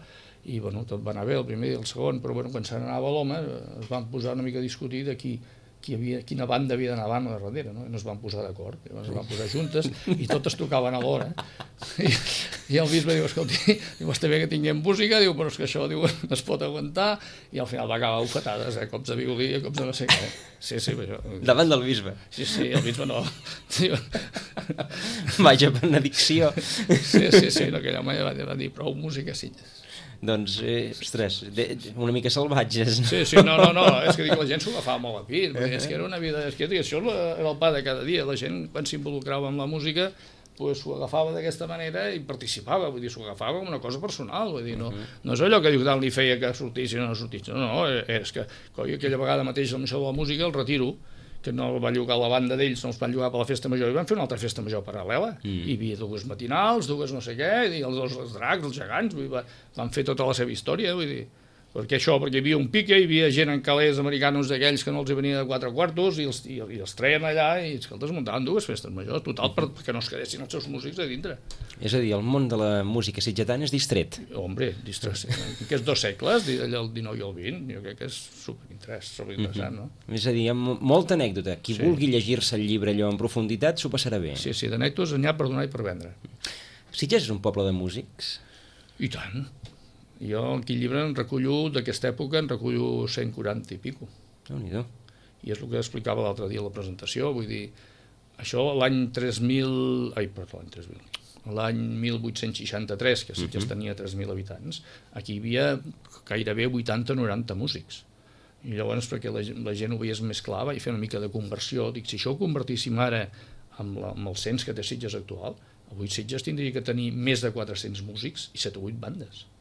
i tot va anar bé el primer i el segon, però quan se n'anava l'home es van posar una mica a discutir de quina banda havia d'anar davant o darrere, no? I no es van posar d'acord, llavors es van posar juntes i totes tocaven alhora, i el bisbe diu, escolti, està bé que tinguem música, diu, però és que això no es pot aguantar, i al final va acabar a bufetades, cops de violí, cops de no sé què. Sí, això. Davant del bisbe. Sí, el bisbe no. Vaja benedicció. Sí, aquell home va dir prou música, sí. Doncs, ostres, una mica salvatges. Sí, no, és que la gent s'ho agafava molt a pit, és que era una vida, és que això era el pa de cada dia, la gent quan s'involucrava amb la música s'ho agafava d'aquesta manera i participava, vull dir, s'ho agafava com una cosa personal, vull dir, no és allò que diu tant li feia que sortís i no sortís, no, és que aquella vegada mateix amb això de la música el retiro, que no va llogar la banda d'ells, no els van llogar per la festa major, i van fer una altra festa major paral·lela, hi havia dues matinals, dues no sé què, i els dracs, els gegants, van fer tota la seva història, vull dir, perquè hi havia un pique, hi havia gent en calés americanos d'aquells que no els hi venia de 4 quartos i els treien allà i els muntaven dues festes majors, total, perquè no es quedessin els seus músics a dintre. És a dir, el món de la música sitgetana és distret. Hombre, distret, aquests 2 segles, el 19 i el 20, jo crec que és superinteressant, no? És a dir, hi ha molta anècdota. Qui vulgui llegir-se el llibre allò en profunditat s'ho passarà bé. Sí, d'anècdotes n'hi ha per donar i per vendre. Sitges és un poble de músics? I tant. Jo aquí llibre d'aquesta època en recullo 140 i pico. Déu-n'hi-do. I és el que explicava l'altre dia a la presentació, vull dir, això l'any 1863, que Sitges tenia 3.000 habitants, aquí hi havia gairebé 80-90 músics. I llavors, perquè la gent ho veiés més clar, vaig fer una mica de conversió. Dic, si això ho convertíssim ara amb el cens que té Sitges actual, avui Sitges tindria que tenir més de 400 músics i 7 o 8 bandes.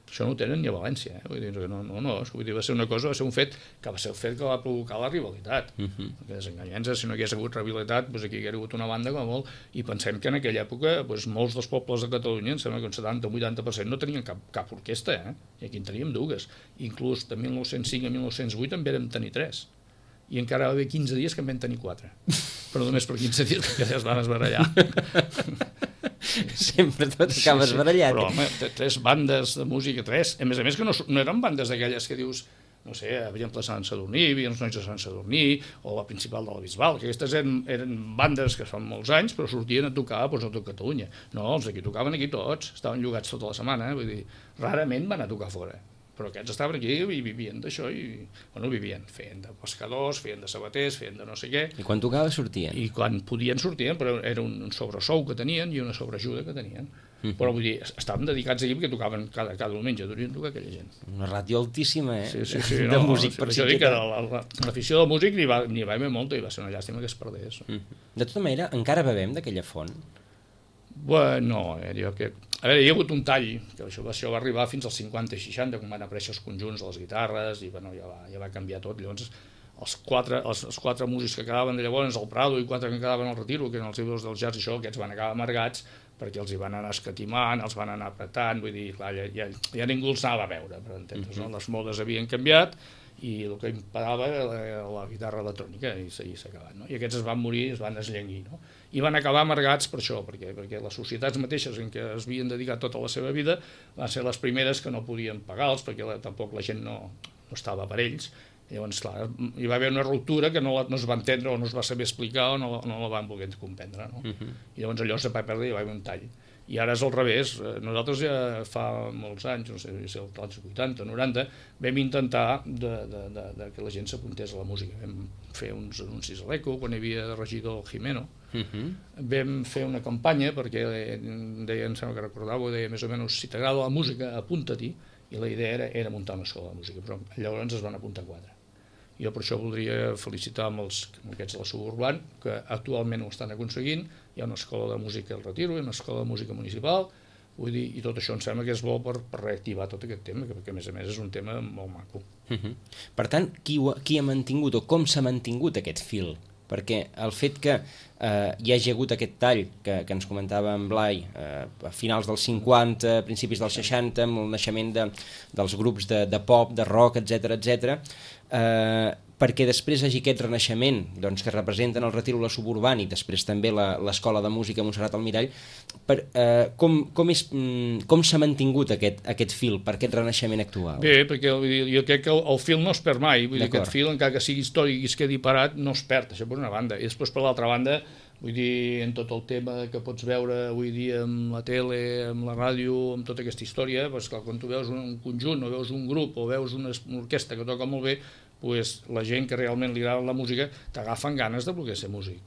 Això no ho tenen ni a València, vull dir, va ser una cosa, va ser un fet que va ser el fet que va provocar la rivalitat. Perquè desenganyem-nos, si no hi hagués hagut rivalitat, aquí hi hauria hagut una banda com a molt, i pensem que en aquella època molts dels pobles de Catalunya, em sembla que un 70 o 80% no tenien cap orquestra, i aquí en teníem dues. Inclús de 1905 a 1908 en vam tenir 3. I encara va haver 15 dies que en vam tenir 4. Però només per 15 dies, perquè es van esbarallar. Sempre tot acaba esbarallat. Però, home, 3 bandes de música, 3. A més que no eren bandes d'aquelles que dius, no sé, per exemple, Sant Sadurní, hi havia els nois de Sant Sadurní, o la principal de la Bisbal, que aquestes eren bandes que fan molts anys, però sortien a tocar a tot Catalunya. No, els d'aquí tocaven aquí tots, estaven llogats tota la setmana, vull dir, rarament van a tocar fora. però aquests estaven aquí i vivien d'això, i vivien, feien de pescadors, feien de sabaters, feien de no sé què. I quan tocava sortien? I quan podien sortien, però era un sobresou que tenien i una sobreajuda que tenien. Però vull dir, estaven dedicats aquí perquè tocaven cada diumenge, durien tocar aquella gent. Una ràtio altíssima, Sí, de músic per si que l'afició del músic n'hi va haver molta i va ser una llàstima que es perdés. De tota manera, encara bevem d'aquella font? Bueno, jo que... A veure, hi ha hagut un tall, que això va arribar fins als 50 i 60, quan van aparèixer els conjunts de les guitarres, i bueno, ja va canviar tot. Llavors, els quatre músics que quedaven de llavors al Prado i 4 que quedaven al Retiro, que eren els ídols del jazz i això, aquests van acabar amargats perquè els hi van anar escatimant, els van anar apretant, vull dir, clar, ja ningú els anava a veure, per entendre's, no? Les modes havien canviat i el que imparava era la guitarra electrònica i s'ha acabat, no? I aquests es van morir, es van esllenguir, no? I van acabar amargats per això, perquè les societats mateixes en què es havien dedicat tota la seva vida van ser les primeres que no podien pagar-los perquè tampoc la gent no estava per ells. Llavors, clar, hi va haver una ruptura que no es va entendre o no es va saber explicar o no la van voler comprendre, no? I llavors allò se va perdre i hi va haver un tall. I ara és al revés. Nosaltres ja fa molts anys, no sé si als 80, 90, vam intentar que la gent s'apuntés a la música. Vam fer uns anuncis a l'Eco, quan hi havia de regidor Jimeno. Vam fer una campanya perquè deia, em sembla que recordava, deia més o menys, si t'agrada la música, apunta-t'hi, i la idea era muntar una escola de música, però llavors es van apuntar 4. Jo per això voldria felicitar amb aquests de la Suburban, que actualment ho estan aconseguint. Hi ha una escola de música al Retiro, hi ha una escola de música municipal, vull dir, i tot això em sembla que és bo per reactivar tot aquest tema, perquè a més és un tema molt maco. Per tant, qui ha mantingut o com s'ha mantingut aquest fil? Perquè el fet que hi hagi hagut aquest tall que ens comentava en Blai a finals dels 50, principis dels 60, amb el naixement dels grups de pop, de rock, etc, perquè després hi hagi aquest renaixement que representen el Retiro, la Suburban i després també l'Escola de Música Montserrat Almirall, com s'ha mantingut aquest fil per aquest renaixement actual? Bé, perquè jo crec que el fil no es perd mai, vull dir, aquest fil, encara que sigui històric i es quedi parat, no es perd, això per una banda, i després per l'altra banda, vull dir, en tot el tema que pots veure avui dia amb la tele, amb la ràdio, amb tota aquesta història, doncs clar, quan tu veus un conjunt o veus un grup o veus una orquestra que toca molt bé, doncs la gent que realment li agrada la música t'agafen ganes de voler ser músic.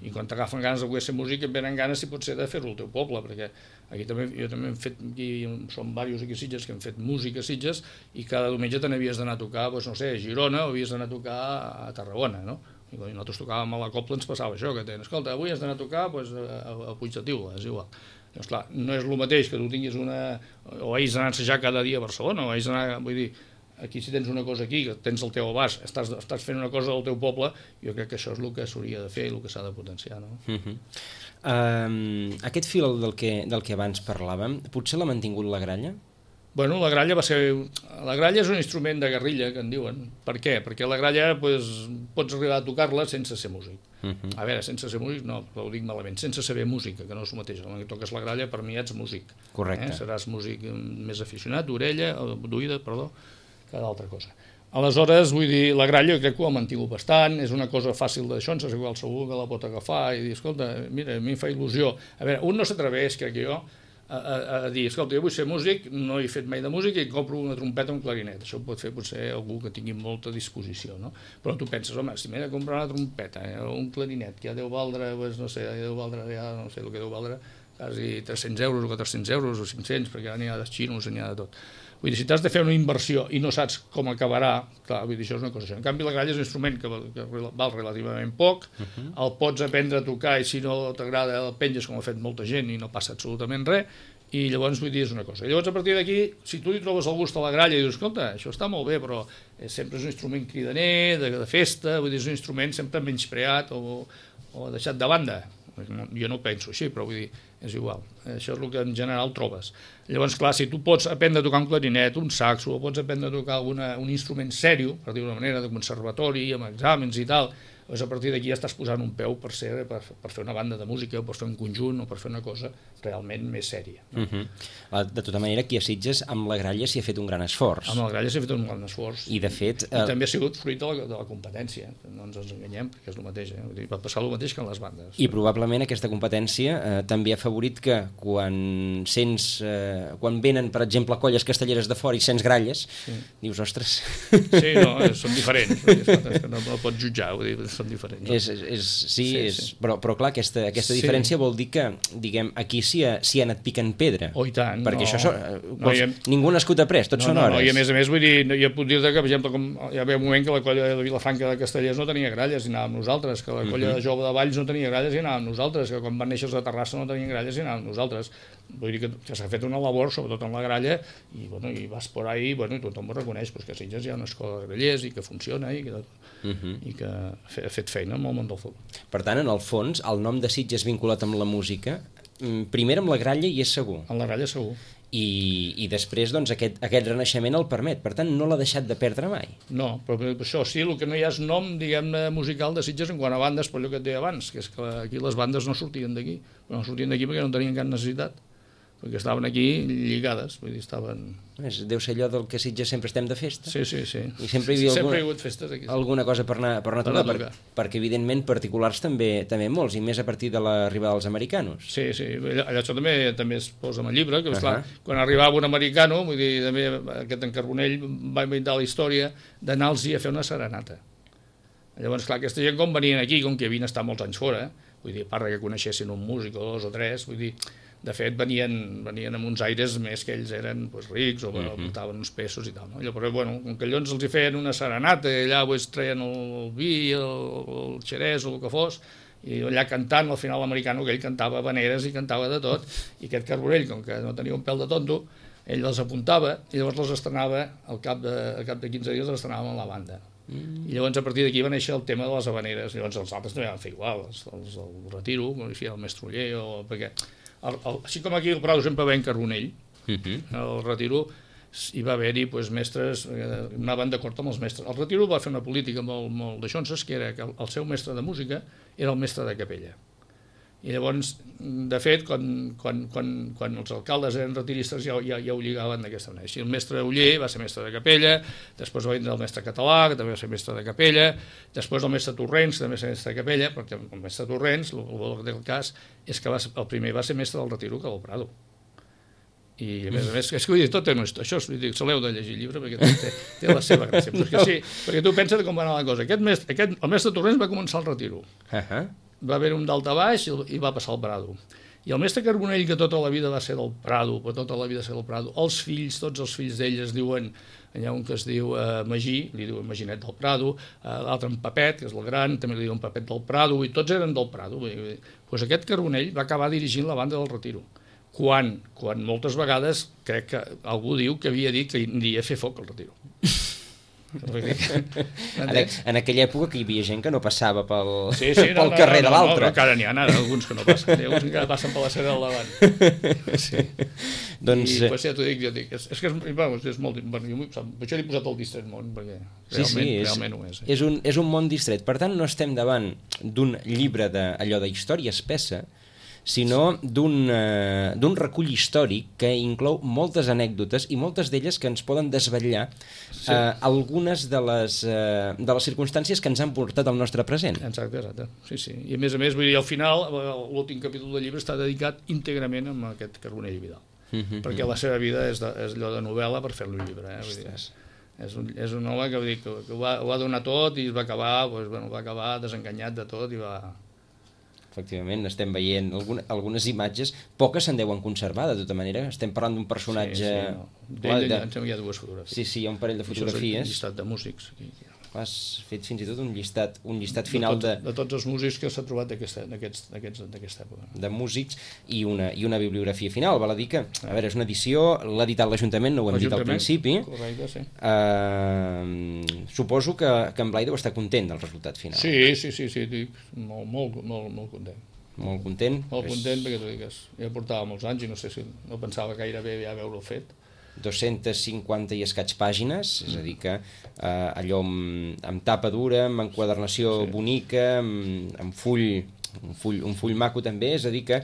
I quan t'agafen ganes de voler ser músic et venen ganes, si pot ser, de fer-ho al teu poble, perquè aquí també, jo també hem fet, aquí som diversos aquí a Sitges que hem fet música a Sitges i cada diumenge te n'havies d'anar a tocar, doncs no sé, a Girona o havies d'anar a tocar a Tarragona, no? I nosaltres tocàvem a la Cobla, ens passava això, que deien, escolta, avui has d'anar a tocar a Puig de Tiula, és igual. Doncs clar, no és el mateix que tu tinguis o hagis d'anar a ensejar cada dia a Barcelona, o hagis d'anar, vull dir, aquí si tens una cosa aquí, que tens el teu abast, estàs fent una cosa del teu poble, jo crec que això és el que s'hauria de fer i el que s'ha de potenciar, no? Aquest fil del que abans parlàvem, potser l'ha mantingut la gralla? Bueno, la gralla és un instrument de guerrilla, que en diuen. Per què? Perquè la gralla pots arribar a tocar-la sense ser músic. A veure, sense ser músic, no, ho dic malament, sense saber música, que no és el mateix. Quan toques la gralla, per mi ets músic. Correcte. Seràs músic més aficionat, d'oïda, que d'altra cosa. Aleshores, vull dir, la gralla jo crec que ho ha mantingut bastant, és una cosa fàcil d'això, ens és qualsevol que la pot agafar i dir, escolta, mira, a mi em fa il·lusió. A veure, un no s'atreveix, crec jo, a dir, escolta, jo vull ser músic, no he fet mai de música i compro una trompeta o un clarinet. Això ho pot fer potser algú que tingui molta disposició, no? Però tu penses, home, si m'he de comprar una trompeta o un clarinet, que ja deu valdre, no sé, no sé el que deu valdre, quasi 300 euros o 400 euros o 500, perquè n'hi ha de xinos, n'hi ha de tot. Vull dir, si t'has de fer una inversió i no saps com acabarà, clar, vull dir, això és una cosa això. En canvi, la gralla és un instrument que val relativament poc, el pots aprendre a tocar i si no t'agrada el penges com ha fet molta gent i no passa absolutament res, i llavors, vull dir, és una cosa. I llavors, a partir d'aquí, si tu li trobes el gust a la gralla i dius, escolta, això està molt bé, però sempre és un instrument cridaner, de festa, vull dir, és un instrument sempre menyspreat o deixat de banda. Jo no ho penso així, però vull dir, és igual. Això és el que en general trobes. Llavors, clar, si tu pots aprendre a tocar un clarinet, un saxo, o pots aprendre a tocar un instrument sèrio, per dir-ho d'una manera, de conservatori, amb exàmens i tal, Doncs a partir d'aquí ja estàs posant un peu per fer una banda de música o per fer un conjunt o per fer una cosa realment més sèria. No? De tota manera, aquí a Sitges, amb la Gralla s'hi ha fet un gran esforç. Amb la Gralla s'ha fet un gran esforç. I, de fet... I també ha sigut fruit de la competència, no ens enganyem, perquè és el mateix. Vull dir, va passar el mateix que en les bandes. I probablement aquesta competència també ha afavorit que quan venen, per exemple, colles castelleres de fora i sents gralles, dius, ostres... Sí, no, són diferents. No pots jutjar, vull dir, són diferents. No? Però clar, aquesta diferència vol dir que, diguem, aquí s'hi ha anat picant pedra. Oh, i tant. Perquè això ningú ha nascut après, tots són hores. I a més, vull dir, jo puc dir que, per exemple, hi havia un moment que la colla de Vilafranca de Castellers no tenia gralles i anàvem nosaltres, que la colla de Jove de Valls no tenia gralles i anàvem nosaltres, que quan van néixer els de Terrassa no tenien gralles i anàvem nosaltres. Vull dir que s'ha fet una labor, sobretot en la gralla, i vas por ahí, i tothom ho reconeix, que a Sitges hi ha una escola de grallers i que funciona i que ha fet feina en el món del futbol. Per tant, en el fons, el nom de Sitges vinculat amb la música, primer amb la gralla hi és segur. En la gralla segur. I després doncs, aquest renaixement el permet, per tant no l'ha deixat de perdre mai. No, però això sí, el que no hi ha és nom, diguem-ne, musical de Sitges en quant a bandes, per allò que et deia abans, que és que aquí les bandes no sortien d'aquí, però no sortien d'aquí perquè no tenien cap necessitat, perquè estaven aquí lligades, vull dir, estaven... Deu ser allò del que Sitges sempre estem de festa. Sí. I sempre hi havia ha hagut festes aquí. Alguna cosa per anar a tocar, perquè evidentment particulars també molts, i més a partir de l'arribada dels americanos. Sí, això també es posa en el llibre, que clar, quan arribava un americano, vull dir, també aquest en Carbonell va inventar la història d'anar-los a fer una serenata. Llavors, clar, aquesta gent com venien aquí, com que havien estat molts anys fora, vull dir, a part que coneixessin un músic o dos o tres, vull dir, de fet venien amb uns aires més que ells eren rics o portaven uns pesos i tal, no? Llavors, com que llavors els hi feien una serenata i allà treien el vi, el xerès o el que fos, i allà cantant, al final l'americano, que ell cantava habaneres i cantava de tot, i aquest Carbonell, com que no tenia un pèl de tonto, ell les apuntava i llavors les estrenava, al cap de 15 dies les estrenàvem a la banda. I llavors a partir d'aquí va néixer el tema de les habaneres, llavors els altres també van fer igual, els del Retiro, com feia el Mestre Oller, perquè així com aquí el Prado sempre va en Carbonell, el Retiro hi va haver-hi mestres, anaven d'acord amb els mestres. El Retiro va fer una política molt de xonses, que era que el seu mestre de música era el mestre de capella. I llavors, de fet, quan els alcaldes eren retiristes ja ho lligaven d'aquesta manera. Així el mestre Oller va ser mestre de capella, després va vindre el mestre Català, que també va ser mestre de capella, després el mestre Torrents, que també va ser mestre de capella, perquè el mestre Torrents, el del cas, és que el primer va ser mestre del Retiro que del Prado. I a més, és que vull dir, tot té això, se l'heu de llegir el llibre perquè té la seva gràcia. Però és que sí, perquè tu penses com va anar la cosa. El mestre Torrents va començar el Retiro. Va haver un dalt a baix i va passar al Prado. I el mestre Carbonell, que tota la vida va ser del Prado, els fills, tots els fills d'ell es diuen, hi ha un que es diu Magí, li diuen Maginet del Prado, l'altre en Papet, que és el gran, també li diuen Papet del Prado, i tots eren del Prado. Doncs aquest Carbonell va acabar dirigint la banda del Retiro, quan moltes vegades crec que algú diu que havia dit que aniria a fer foc al Retiro. En aquella època que hi havia gent que no passava pel carrer de l'altre. No, encara n'hi ha alguns que no passen, hi ha alguns que encara passen per la cera del davant. Sí. Doncs... I ja t'ho dic, és que és molt... Per això l'he posat el distret món, perquè realment ho és. És un món distret, per tant no estem davant d'un llibre d'allò d'història espessa, sinó d'un recull històric que inclou moltes anècdotes i moltes d'elles que ens poden desvetllar algunes de les circumstàncies que ens han portat al nostre present. Exacte. Sí. I a més, vull dir, al final, l'últim capítol del llibre està dedicat íntegrament a aquest Carbonell i Vidal, perquè la seva vida és allò de novel·la per fer-lo un llibre. Vull dir, és un home que ho va donar tot i va acabar desenganyat de tot i va... Efectivament, estem veient algunes imatges, poques se'n deuen conservar, de tota manera, estem parlant d'un personatge... D'ell em sembla que hi ha dues fotografies. Sí, hi ha un parell de fotografies. Això és un llistat de músics. Has fet fins i tot un llistat final de tots els músics que s'ha trobat d'aquesta època. De músics i una bibliografia final. Val a dir que, a veure, és una edició, l'ha editat l'Ajuntament, no ho hem dit al principi. Correcte, sí. Suposo que en Blai deu estar content del resultat final. Sí, molt content. Molt content? Molt content perquè t'ho digues. Ja portava molts anys i no sé si no pensava gaire bé ja haver-ho fet. 250 i escaig pàgines, és a dir que allò amb tapa dura, amb enquadernació bonica, amb un full maco també, és a dir que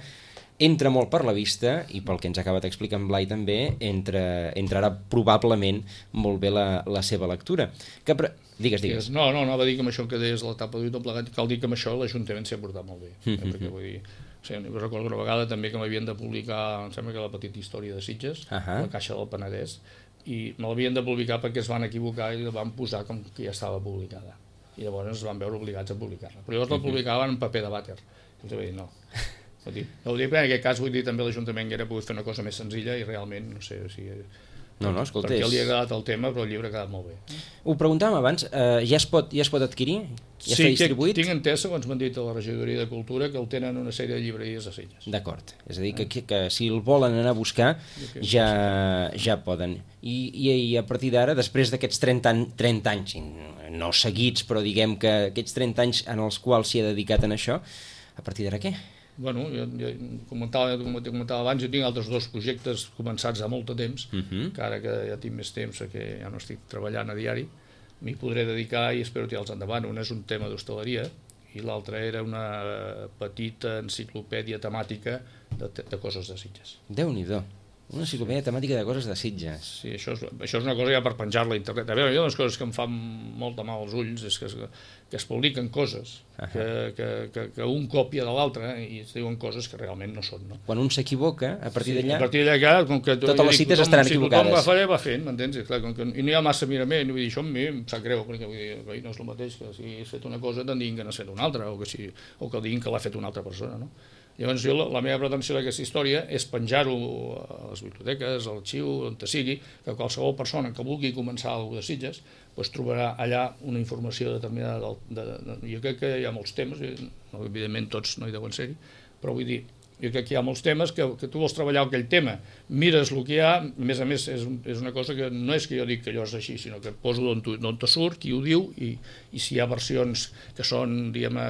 entra molt per la vista i pel que ens acaba d'explicar en Blai també entrarà probablement molt bé la seva lectura. Digues. No, anava a dir que amb això que deies la tapa d'ull tot plegat, cal dir que amb això l'Ajuntament s'hi ha portat molt bé, perquè vull dir, recordo una vegada també que m'havien de publicar, em sembla que la petita història de Sitges, la Caixa del Penedès, i me l'havien de publicar perquè es van equivocar i la van posar com que ja estava publicada, i llavors es van veure obligats a publicar-la, però llavors la publicaven en paper de vàter, i els vaig dir no. No ho dic, en aquest cas vull dir també l'Ajuntament que era pogut fer una cosa més senzilla i realment, no sé, o sigui, escolta, perquè li ha agradat el tema, però el llibre ha quedat molt bé. Ho preguntàvem abans, ja es pot adquirir? Ja està distribuït? Sí, tinc entès, segons m'han dit a la Regidoria de Cultura, que el tenen una sèrie de llibreries a Sitges. D'acord, és a dir, que si el volen anar a buscar ja poden. I a partir d'ara, després d'aquests 30 anys, no seguits, però diguem que aquests 30 anys en els quals s'hi ha dedicat en això, a partir d'ara què? Bueno, jo comentava abans, jo tinc altres 2 projectes començats a molt de temps, que ara que ja tinc més temps, que ja no estic treballant a diari, m'hi podré dedicar i espero tirar-los endavant. Un és un tema d'hostaleria i l'altre era una petita enciclopèdia temàtica de coses de Sitges. Déu-n'hi-do. Una enciclopèdia temàtica de coses de Sitges. Sí, això és una cosa ja per penjar-la a internet. A veure, hi ha unes coses que em fan molt de mal als ulls, és que es publiquen coses, que un còpia de l'altre i es diuen coses que realment no són. No? Quan un s'equivoca, a partir d'allà, com que totes les cites estaran equivocades. Si tothom va fent, m'entens? I no hi ha massa mirament, vull dir, això a mi em sap greu, perquè vull dir, no és el mateix que si has fet una cosa te'n diguin que n'has fet una altra, o que diguin que l'ha fet una altra persona, no? Llavors la meva pretensió d'aquesta història és penjar-ho a les biblioteques, a l'arxiu, on sigui, que qualsevol persona que vulgui començar alguna de Sitges trobarà allà una informació determinada. Jo crec que hi ha molts temes, evidentment tots no hi deuen ser-hi, però vull dir, jo crec que hi ha molts temes que tu vols treballar aquell tema, mires el que hi ha, a més és una cosa que no és que jo dic que allò és així, sinó que poso d'on te surt, qui ho diu, i si hi ha versions que són, diguem-ne,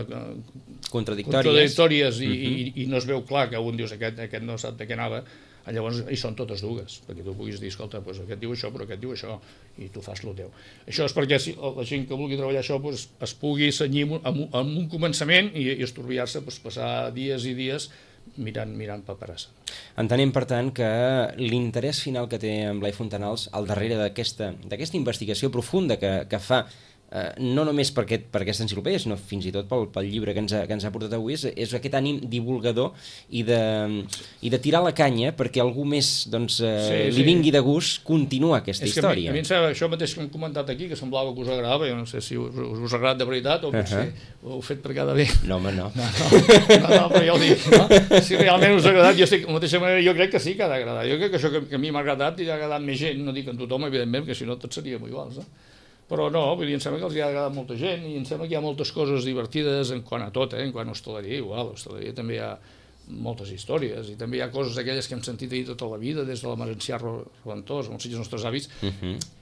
contradictòries i no es veu clar que un dius aquest no sap de què anava, llavors hi són totes dues, perquè tu puguis dir, escolta, aquest diu això, però aquest diu això, i tu fas el teu. Això és perquè la gent que vulgui treballar això es pugui cenyir amb un començament i estorbiar-se, passar dies i dies mirant paperassa. Entenem, per tant, que l'interès final que té en Blai Fontanals al darrere d'aquesta investigació profunda que fa, no només per aquesta enciclopèdia, sinó fins i tot pel llibre que ens ha portat avui, és aquest ànim divulgador i de tirar la canya perquè algú més li vingui de gust continuar aquesta història. A mi em sembla això mateix que hem comentat aquí, que semblava que us agradava, jo no sé si us ha agradat de veritat o potser ho heu fet per quedar bé. No, home, no. No, però ja ho dic, no? Si realment us ha agradat, jo de la mateixa manera jo crec que sí que ha d'agradar. Jo crec que això que a mi m'ha agradat i ha agradat més gent, no dic en tothom, evidentment, perquè si no tots seríem iguals, no? Però no, vull dir, em sembla que els hi ha agradat molta gent i em sembla que hi ha moltes coses divertides en quant a tot, en quant a hostaleria, igual, a l'hostaleria també hi ha moltes històries i també hi ha coses d'aquelles que hem sentit a dir tota la vida, des de la Marencià Reventós, amb els Sitges nostres avis,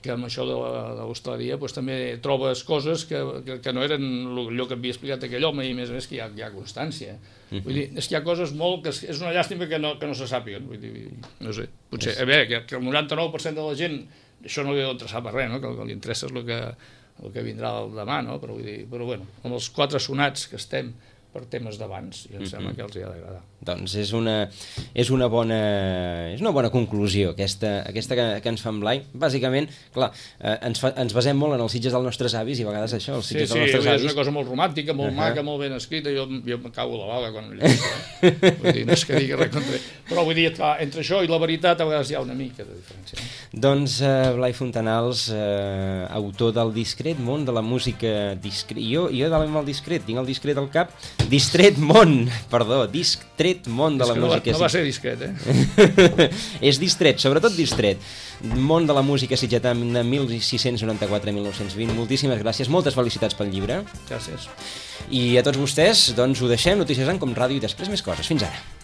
que amb això de l'hostaleria també trobes coses que no eren allò que havia explicat aquell home i a més que hi ha constància. Vull dir, és que hi ha coses molt que és una llàstima que no se sàpiguen, vull dir, no sé, potser, a veure, que el 99% de la gent això no li ha d'interessar per res, no? Que el que li interessa és el que vindrà el demà, no? Però bueno, amb els 4 sonats que estem per temes d'abans, i em sembla que els hi ha d'agradar. Doncs és una bona conclusió aquesta que ens fa en Blai. Bàsicament, clar, ens basem molt en els Sitges dels nostres avis i a vegades això, els Sitges dels nostres avis... és una cosa molt romàntica, molt maca, molt ben escrita, jo em cago a la bala quan ho llegeixo, vull dir, no és que digui res contra... Però vull dir, entre això i la veritat a vegades hi ha una mica de diferència. Doncs Blai Fontanals, autor del discret món de la música discret... Jo de el discret, tinc el discret al cap... Distret món de la música... No va ser discret, eh? És distret, sobretot distret. Món de la música sitgetana 1694-1920. Moltíssimes gràcies, moltes felicitats pel llibre. Gràcies. I a tots vostès, doncs ho deixem, Notícies en Com Ràdio i després més coses. Fins ara.